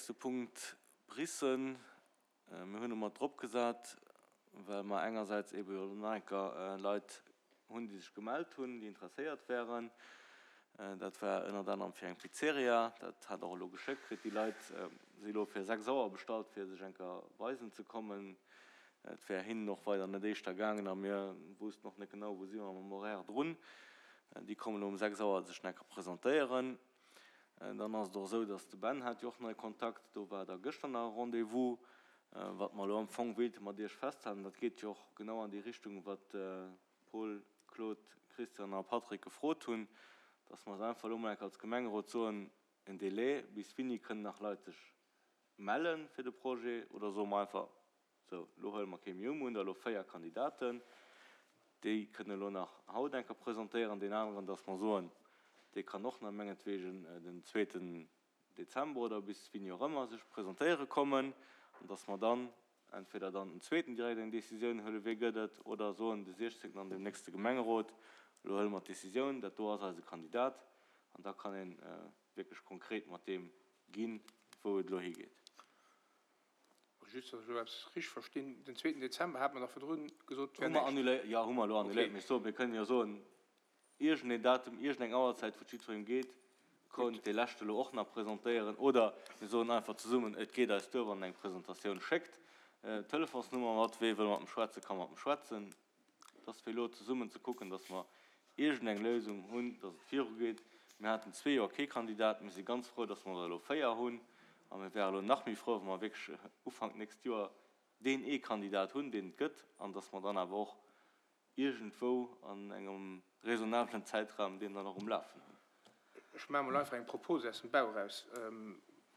Nächste Punkt, Biissen. Mir hunn e mat drop gesat, well mer engersäits eebe jo nach eng Kéier Leit hunn, déi sech gemellt hunn, déi interesséiert wären. Dat war ënnert anerem fir eng Pizzeria. Dat hat och elo geschéckt kritt. Déi Leit si elo fir 6 Auer bestallt, fir sech eng Kéier weisen ze kommen. Et wär hinnen och weider net éischter gaangen a mir woussten och net genau, wou si mer mam Horaire drun. Déi kommen elo um 6 Auer sech nach eng Kéier presentéieren. Dann ass et och esou, dass de Ben hat jo och nei Kontakt, do war da gëschter nach e Rendez-vous, wat mer elo am Fong wéilte mat Iech festhalen. Dat geet jo och genau an déi Richtung, wat Paul, Claude, Christian a Patrick gefrot hunn, dass mer se einfach elo mol enk als Gemengerot soen, en Délai, bis wéini kënnen nach Leit sech melle fir de Projet, oder soe mer einfach, Sou, elo huele mer kee méi un. Mer hunn der elo 4 Kandidaten. Déi kënnen elo nach haut eng Kéier presentéieren. Deen aneren, dass mer soen, dee kann och nach mengetwegen den zweeten Dezember oder bis wéini och ëmmer sech presentéiere kommen. An dass mer dann entweder dann den zweeten direkt eng Décisioun huelen, wee gëtt et, oder soen de 16. an deem nächste Gemengerot, elo huele mer d'Décisioun, dat do ass eise Kandidat. An da kann ee wierklech konkret mat deem ginn, wou et elo higeet. Just, datt ech elo eppes richteg verstinn, Den zweeten Dezember hat mer dach virdrun gesot, wär Hu mer näischt. annuléiert, jo, hu mer elo annuléiert. Mee ech soen, mir kënnen jo soen, iergendeen Datum, iergendeng Auerzäit, wou et jiddwerengem geet, konnt dee leschte elo och nach presentéieren. Oder mir soen einfach zesummen, et geet eis duer, wann en eng Presentatioun schéckt, Telefonsnummer mat, wee wëll mat em schwätzen, ka mat em schwätzen. Et ass fir elo zesummen ze kucken, dass mer iergendeng Léisung hunn, dass et virugeet. Mir haten zwee Joer kee Kandidat. Mir si ganz frou, dass mer der elo 4 hunn. A mir wäre elo nach méi frou, wa mer wierklech Ufank d'nächst Joer deen ee Kandidat hunn, deen et gëtt, an dass mer dann awer och iergendwou an engem raisonnablen Zäitraum deen dann och um Lafen hunn. Ech maache mol einfach eng Propose aus dem Bauch eraus.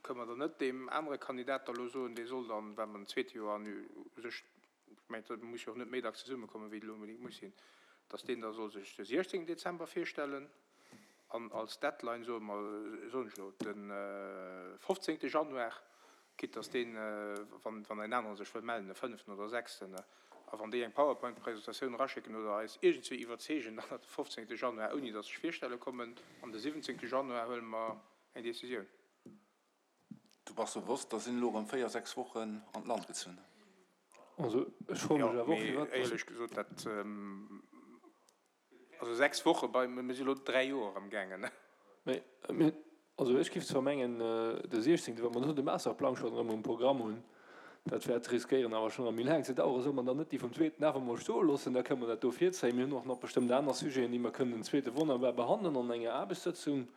Kënne mer dann net deem anere Kandidat da elo soen, dee soll dann, well mer den zweete Joer an u sech ech mengen, et muss jo och net méi dacks zesummekommen, wéi et elo onbedéngt muss sinn, dass deen da soll sech de 16 Dezember virstellen an als Deadline soe mer, soen ech elo, de 15. Januar, quitte dass deen, wann en anere sech wëll mellen, de fënneften oder sechsten, a wann déi eng PowerPoint-Presentatioun eraschécken oder eis iergendswéi iwwerzeegen, dann nach de 15. Januar, ouni dass sech virstelle kommen, an de 17. Januar huele mer eng Décisioun. Du bass bewosst, da sinn elo erëm 4, 6 Wochen an d'Land gezunn. Also ech froe mech awer och, firwat. Éierlech gesot, dat, also 6 Woche bei, mir si elo 3 Joer amgaangen. Mee, also ech géif zwar mengen, de 16., wa mer do de Masterplang schonn erëm um Programm hunn, dat wäert riskéieren awer schonn erëm méi laang ze daueren, solle mer dann net déi vum zweeten awer emol stoe loossen, da kënne mer dat do virzéien. Mir hunn och nach bestëmmt aner Sujeten, déi mer kënnen den zweete wonnerbar behandelen an enger Aarbechtssëtzung.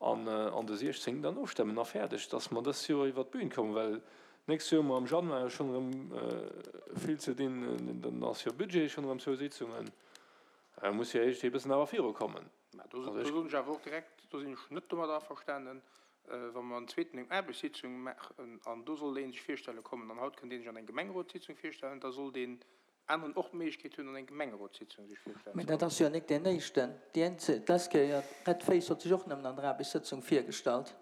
An an de 16 dann ofstëmmen a fäerdeg, dass mer dëst Joer iwwert d'Bühn kommen, well d'nächst Joer hu mer am Januar jo schonn erëm vill ze dinn, dann ass jo Budget schonn erëm zwou Sitzungen, da muss jo iergendwéi e bëssen awer virukommen. Mä do soen ech awer och direkt, do sinn ech net domadder averstanen, wa mer en zweeten eng Aarbechtssitzung maachen an do soll ee sech virstelle kommen an haut kënnt ee sech an eng Gemengerotssitzung virstellen, da soll deen aneren och d'Méiglechkeet hunn an eng Gemengerotssitzung sech virstellen ze Mee dat ass jo nik deen éischten. Déi eenzel, d'lescht Kéier, Red Face huet sech och nëmmen an der Aarbechtssëtzung virgestallt.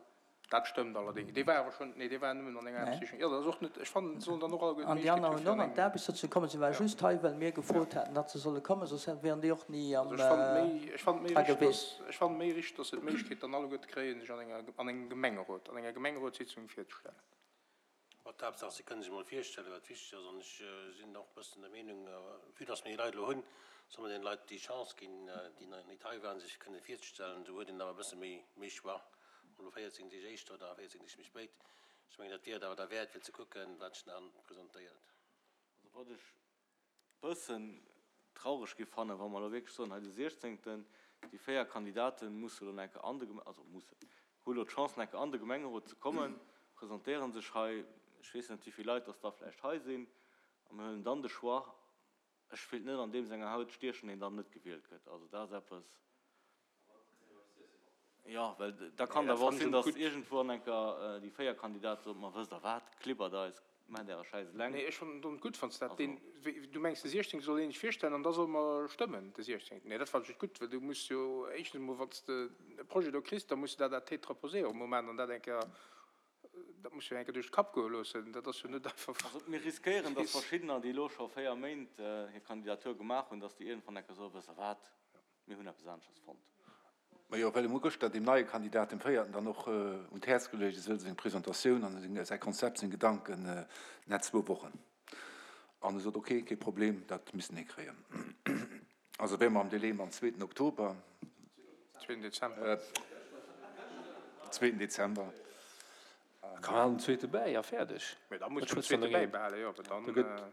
Dat stëmmt allerdéngs. Dee war awer schonn, nee, dee war nëmmen an enger Aarbechtssitzung. Jo, dat ass och net, ech fannen, et sollen dann och alleguer An déi d'Méiglechkeet aner hu hunn fir och an an eng, d'Aarbechtssëtzung kommen. Si ware ja. just hei, well mir gefrot haten, datt se solle kommen, soss wieren déi och ni am Also ech fannen et méi, ech fannen et méi dra richteg, gewiescht. dass, ech fannen et méi richteg, dass se d'Méiglechkeet dann alleguerte kréien, sech an enger, an engem Gemengerot, an enger Gemengerotssitzung virzestellen. Ma d'Haaptsaach, si kënnen sech emol virstellen, wat wichteg ass. An ech sinn och e bëssen der Meenung, vue dass mir déi Leit elo hunn, solle mer deene Leit déi Chance ginn, déi nach net hei waren, sech kënne virzestellen. Esou huet een awer e bësse méi, méi Choix, ob elo 14 Deeg éischter oder 14 Deeg méi spéit. Ech mengen, dat wier et awer derwäert, fir ze kucken, wat sech nach presentéiert. Also wat ech bëssen traureg géif fannen, wa mer elo wierklech soen, hei de siechzéngten, déi 4 Kandidaten musse elo nach eng Kéier an de, also mussen, hu elo d'Chance nach eng Kéier an de Gemengerot ze kommen, presentéiere sech hei, ech weess net wéi vill Leit dass da vläicht hei sinn, a mir huelen dann de Choix. Ech wéilt net an deem senger Haut stiechen, deen dann net gewielt gëtt. Also dat ass eppes. Jo, well da kann et awer och sinn, datt iergendwou an enker déi 4 Kandidate soen, ma wësst Der wat, klibbert eis, maacht Äre Schäiss eleng. Nee, ech fannen et gutt, wann s dat deen, du mengs de 16. soll een sech virstellen an da solle mer stëmmen de 16. Nee, dat fannen ech net gutt, well du muss jo éischtens emol, wann s de e Projet do kriss, da muss de dat à tête reposée och emol maachen an dat eng Kéier, dat muss jo eng Kéier duerch de Kapp goe loossen. Dat ass jo net einfach. Also mir riskéieren, datt verschiddener, déi elo scho 4 Méint hir Kandidatur gemaach hunn, datt déi iergendwann eng Kéier soen, wësst Der wat, Mir hunn eppes aneschters fonnt. Majo, well em hu gëschter deem neie Kandidat, dem véierten, dann och un d'Häerz geluecht, e soll seng Presentatioun an säi Konzept, seng Gedanken net zwou Wochen. An e sot, ok, kee Problem, dat missten hie kréien. Also wäre mer am Délai mam zweeten Oktober. Zweeten Dezember. Zweeten Dezember. Kann man den zweete bäi a fäerdeg. Mee da muss den zweete bäibehalen, jo, well dann.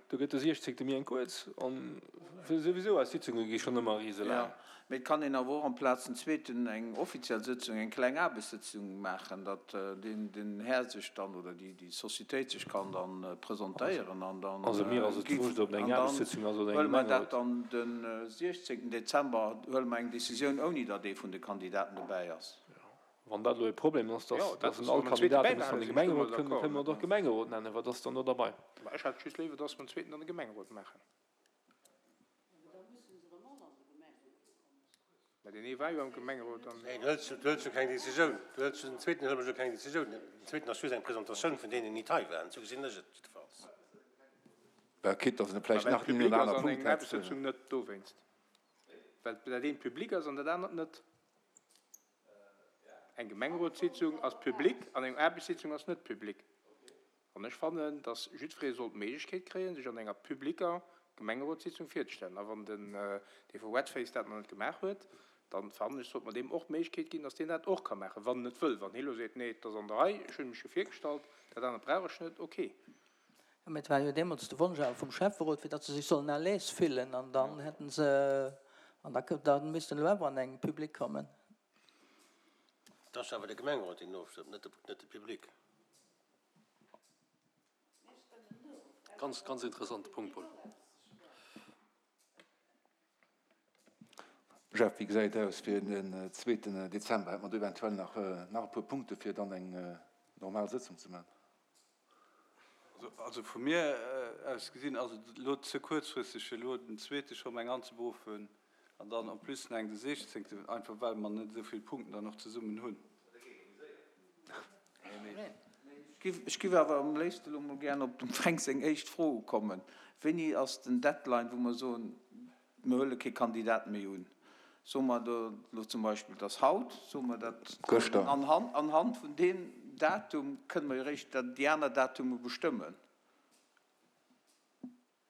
Do gëtt de siechzéngte méi eng kuerz an souwisou eis Sitzunge gi schonn ëmmer riselaang. Jo, mee et kann een awer och amplaz den zweeten eng offiziell Sëtzung, eng kleng Aarbechtssëtzung maachen, datt deen den Här sech dann oder déi déi Societéit sech kann dann presentéieren an dann. Also mir ass et wurscht, ob et eng Aarbechtssëtzung ass oder eng Huele mer dat Gemengerot. dann de siechzéngten Dezember, huele mer eng Décisioun ouni datt ee vun de Kandidaten dobäi ass. Wann dat elo e Problem ass, dass en all Kandidaten muss an de Gemengerot kënnen, da kënne mer et och Gemengerot nennen. Wat ass dann do derbei? Mä ech hätt just léiwer, dass mer en zweeten an de Gemengerot maachen. Mä deen ee war jo am Gemengerot an. Nee, du hëls, du hëls jo keng Décisioun. Du hëls den zweeten hëlle mer jo keng Décisioun. Den zweeten ass just eng Presentatioun vun deenen, déi nit hei waren. Esou gesinn ech et jiddefalls. Bah, quitte dass en vläicht Mä well nach et deen een public oder ass aner an Punkt eng hätt. Aarbechtssëtzung net dowéinst. Well dat eent public ass an dat anert net. Eng Gemengerotssitzung ass public an eng Aarbechtssitzung ass net public. An ech fannen, datt jiddweree soll d'Méiglechkeet kréien, sech an enger publicker Gemengerotssitzung virzestellen. A wann den dee vu Redface dat nach net gemaach huet, da fannen ech, sollt mer deem och d'Méiglechkeet ginn, datt deen dat och ka maachen, wann en et wëll. Wann hie elo seet, Nee, et ass an der Rei, ech hunn mech jo virgestallt, dat anert brauch ech net, okay. Mä et war jo deemools de Wonsch awer vum Schäfferot, fir datt se sech sollen à l'aise fillen an dann hätten se, an da da missten elo awer an eng Public kommen. Et ass awer de Gemengerot, deen ofstëmmt, net de, net de Public. Ganz, ganz interessante Punkt, Paul. Jeff, wéi gesäit et aus fir den zweeten Dezember? Hätt mer do eventuell nach nach e puer Punkte fir dann eng normal Sëtzung ze maachen? Also vu mir aus gesinn ass et elo ze kuerzfristeg fir elo den zweete scho eng anzeberuffen an dann en plus nach eng de siechzéngten, einfach well mer net esou vill Punkten dann och zesummen hunn. Ech giff awer am léifsten elo mol gären op dem Fränk seng éischt Fro ukommen. Wéini ass den Deadline, wou mer soen, Mir huele kee Kandidat méi un. Soe mer do elo zum Beispill, et ass haut, soe mer dat Gëschter. Anhand vun deem Datum kënne mer jo eréischt déi aner Datume bestëmmen.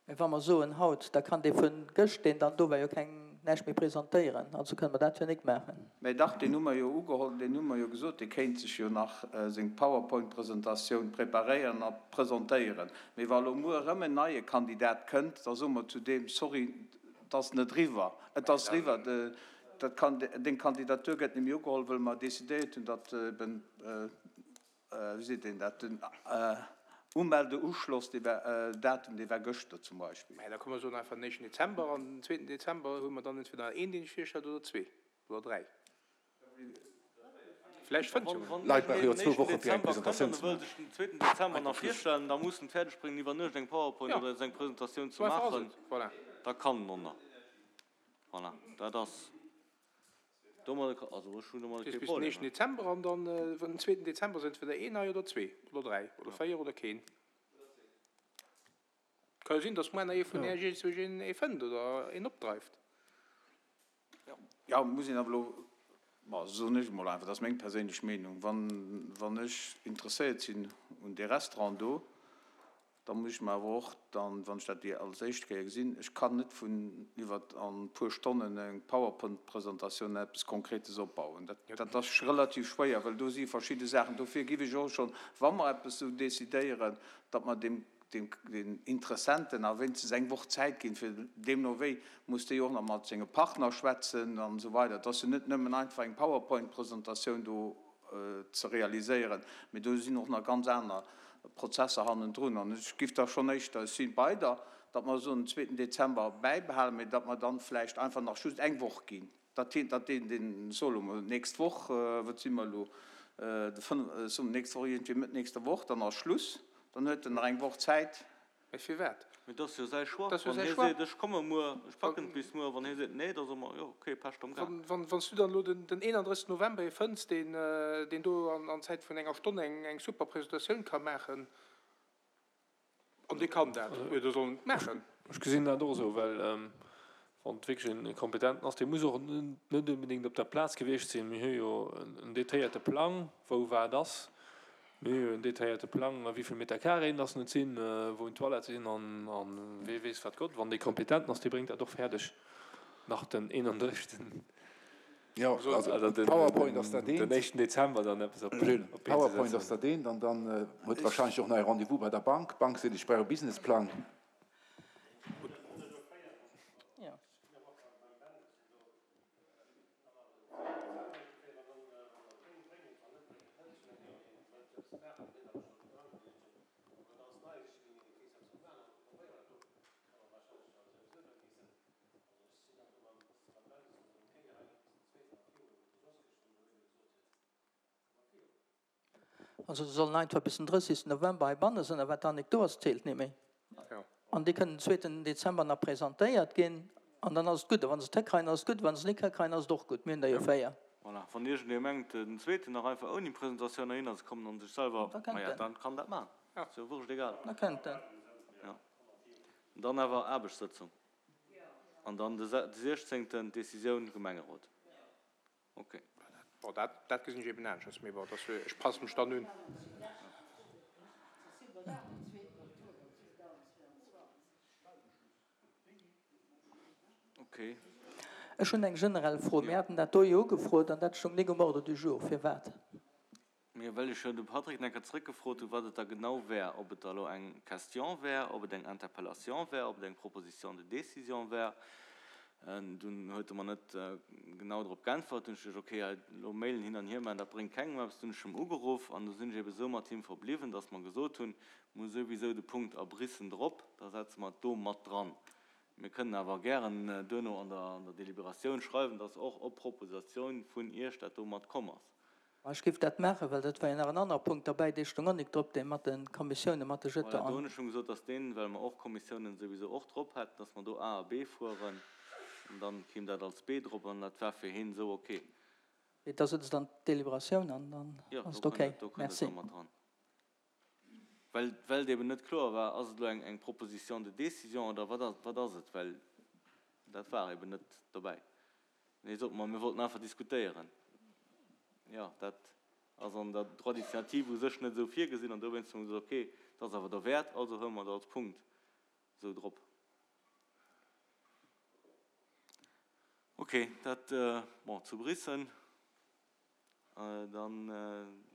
Mä wa mer soen haut, da kann dee vun gëscht, deen dann do war, jo keng, näischt méi presentéieren. Also kënne mer dat jo nik maachen. Mä dach, deen hu mer jo ugeholl, deen hu mer jo gesot, dee kéint sech jo nach seng PowerPoint-Presentatioun preparéieren a presentéieren. Mee wa elo muer erëm en neie Kandidat kënnt, da soe mer zu deem, Sorry, et ass net eriwwer. Et ass eriwwer. Dat kann, deng Kandidatur gëtt net méi ugeholl, wëll mer decidéiert hunn, datt eben, wéi seet een dat, den Umeldeuschloss, dee war, Datum, dee war gëschter zum Beispill. Mä da komme mer soen einfach den éischten Dezember an den zweeten Dezember hu mer dann entweder een, deen sech virstellt, oder zwee oder dräi. Vläicht fënnt jo Wann Leit brauche jo den zwou éischten Woche fir eng Dezember kënnt Presentatioun an e ze wëll maachen. sech den zweeten Dezember nach virstellen, da muss en et fäerdeg bréngen iwwer Nuecht eng PowerPoint oder seng Presentatioun ze maachen, da kann en och nach. Voilà, dat ass domadder, also ech hunn domadder kee Bis den Problem. éischten Dezember an dann den zweeten Dezember ass entweder een nei oder zwee oder dräi oder véier oder keen. Ka jo sinn, datt muer nach ee vun Är iergendzwousch een ee fënnt oder een opdreift. Jo, muss een awer elo, bon, soen ech emol einfach, dat ass meng perséinlech Meenung, wann, wann ech interesséiert sinn un dee Restaurant do, da muss ech mer awer och dann, wann ech dat déi als éischt Kéier gesinn, ech kann net vun iwwer an e puer Stonnen eng PowerPoint-Presentatioun eppes Konkretes opbauen. Dat, dat ass relativ schwéier, well do si verschidde Saachen. Dofir giff ech och schonn, wa mer eppes esou decidéieren, datt mer deem den Interessenten a wéinstens eng Woch Zäit ginn, fir deemno wéi muss dee jo och nach mat senge Partner schwätzen an esou weider. Et ass jo net nëmmen einfach eng PowerPoint-Presentatioun do ze realiséieren, mee do sinn och nach ganz aner Prozesser hannendrun. An ech giff da schonn éischter, ech si bei der, datt mer soen, den zweeten Dezember bäibehalen, mee datt mer dann vläicht einfach nach just eng Woch ginn. Dat hien, dat deen, deen, so elo mol d'nächst Woch, wat si mer elo, de 5, so nächst Woch, iergendwéi Mëtt nächster Woch, dann ass Schluss, dann huet en nach eng Woch Zäit. Mä firwat? Mee et ass jo säi Choix. Dat ass jo Wann säi hie Choix. seet, ech komme muer, ech packen et bis muer, wann hie seet, nee, da soe mer, jo, okay, Pescht am Gaart. Wann, wann s du dann elo den, den 31. November ee fënns, deen, deen do an, an Zäit vun enger Stonn eng, eng super Presentatioun ka maachen, An dee kann dat, jo, da soll en et maachen. Ech gesinn dat och esou, well. Wann et wierklech e Kompetenten ass, dee muss och net onbedéngt op der Plaz gewiescht sinn. Mir hu jo en detailléierte Plang, wou wat ass. Mir hu jo en detailléierte Plang, wéi vill Meter Carréen dass et sinn, wou d'Toilette sinn an wee weess wat Gott. Wann dee Kompetenten ass, dee bréngt dat och fäerdeg nach den 31. Jo, also PowerPoint ass dat eent. Den éischten Dezember dann eppes op d'Been ze setzen. PowerPoint ass dat eent an dann huet wahrscheinlech och nach e Rendez-vous bei der Bank. D'Bank seet, ech brauch e Businessplang. Also se sollen einfach bis den 30. November heibanne sinn, a wat dann nik do ass, zählt net méi. An déi kënnen den zweeten Dezember nach presentéiert ginn, an dann ass et gutt. A wa se et hikreien, ass et gutt, wa se et nik hikreien, ass et och gutt. Mir hunn der jo 4. Voilà, wann iergendee mengt, den zweeten nach einfach ouni Presentatioun heihinner ze kommen an sech selwer, Da kënnt maja, en. dann kann dat maachen. Ass jo wurscht egal. Da kënnt en. Jo. Dann awer Aarbechtssëtzung. An dann de 16. d'Decisioun Gemengerot. Ok. Bon, dat, dat gesinn ech eben aneschters, mee bon, dass, ech passe mech dann un. Ok. Ech hunn eng generell Fro. Mir haten dat do jo ugefrot an dat stoung nik um Ordre du jour. Firwat? Mee well ech jo de Patrick nach eng Kéier zrëckgefrot hunn, wat et da genau wär, ob et da elo eng Question wär, ob et eng Interpellation wär, ob et eng Proposition de décision wär. Dunn huet e mer net genau drop geäntwert. Dunn hu ech geduecht, okay, hei elo Mailen hin an hier maachen, dat bréngt kengem eppes. Dunn hunn ech em ugeruff an du sinn ech ebe sou mat him verbliwwen, dass mer gesot hunn, mir hu souwisou de Punkt Abrissen drop, da setze mer et do mat dran. Mir kënnen awer gären duerno an der Deliberatioun schreiwen, dass och op Proposatioun vun Iech dat do mat komm ass. Ech géif dat maachen, well dat war jo nach en anere Punkt derbäi, dee stoung och nik drop, dee mat de Kommissiounen, mat de Voilà, do hunn ech schonn gesot, dass deen, well mer och Kommissiounen souwisou och drop hätten, dass mer do A a B fueren an dann kéim dat als B drop an dat war fir heen esou ok. Et da sëtzt an d'Deliberatioun an dann Jo, ass do et ok. kënnt et, do kënnt et Merci. da mat dran. Well, well et eben net kloer war, ass et elo eng, eng Proposition de décision oder wat ass, wat ass et, well dat war eben net dobäi. Nee, sot mer, mir wollten einfach diskutéieren. Jo, dat ass an der Droit d'initiative u sech net esou virgesinn an dowéinst hu mer gesot, okay, dat ass awer derwäert, also huele mer et als Punkt esou drop. Okay, dat, bon, zu Biissen. Dann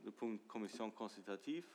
de Punkt Commission consultative.